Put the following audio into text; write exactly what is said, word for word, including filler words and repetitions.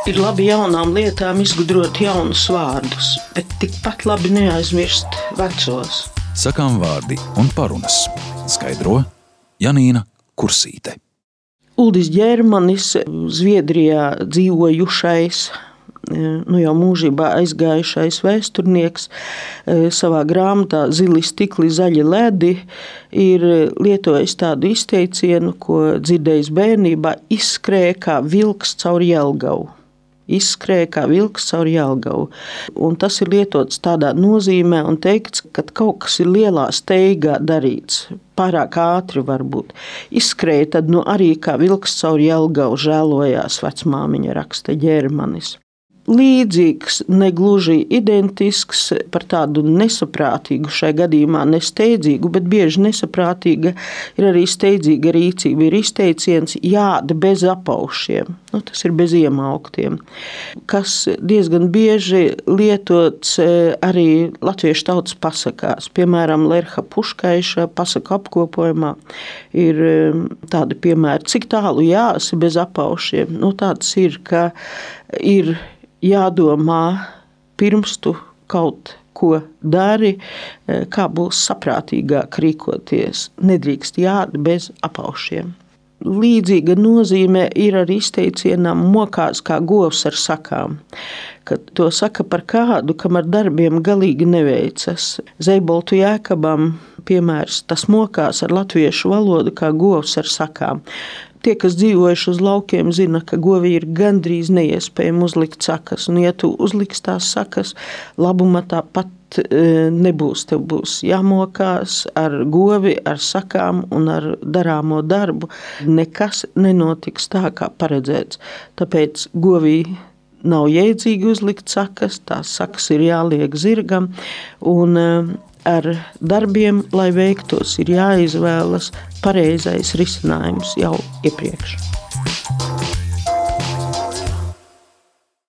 Ir labi jaunām lietām izgudrot jaunus vārdus, bet tikpat labi neaizmirst vecos. Sakām vārdi un parunas. Skaidro Janīna Kursīte. Uldis Ģermanis, Zviedrijā dzīvojušais, nu jau mūžībā aizgājušais vēsturnieks, savā grāmatā Zili stikli, zaļi ledi ir lietojis tādu izteicienu, ko dzirdējis bērnībā: izskrēja kā vilks caur Jelgavu. Izskrēja kā vilks caur Jelgavu. Un tas ir lietots tādā nozīmē un teikts, ka kaut kas ir lielā steigā darīts, pārāk ātri varbūt. Izskrēja tad nu arī kā vilks caur Jelgavu, žēlojās vecmāmiņa, raksta Ģermanis. Līdzīgs, negluži identisks, par tādu nesaprātīgu, šai gadījumā nesteidzīgu, bet bieži nesaprātīga ir arī steidzīga rīcība. Ir izteiciens jāda bez apaušiem, nu, tas ir bez iemauktiem, kas diezgan bieži lietots arī latviešu tautas pasakās. Piemēram, Lerha Puškaiša pasaku apkopojumā ir tādi piemēri: cik tālu jāsi bez apaušiem. Nu, tāds ir, ka ir jādomā pirms tu kaut ko dari, kā būs saprātīgāk rīkoties. Nedrīkst jāda bez apaušiem. Līdzīga nozīme ir arī izteicienam mokās kā govs ar sakām, kad to saka par kādu, kam ar darbiem galīgi neveicas. Zeiboltu Jēkabam piemērs: tas mokās ar latviešu valodu kā govs ar sakām. Tie, kas dzīvojuši uz laukiem, zina, ka govi ir gandrīz neiespējami uzlikt sakas. Un, ja tu uzliks tās sakas, labuma tāpat nebūs. Tev būs jāmokās ar govi, ar sakām un ar darāmo darbu. Nekas nenotiks tā, kā paredzēts. Tāpēc govī nav jēdzīgi uzlikt sakas, tās sakas ir jāliek zirgam. Un ar darbiem, lai veiktos, ir jāizvēlas pareizais risinājums jau iepriekš.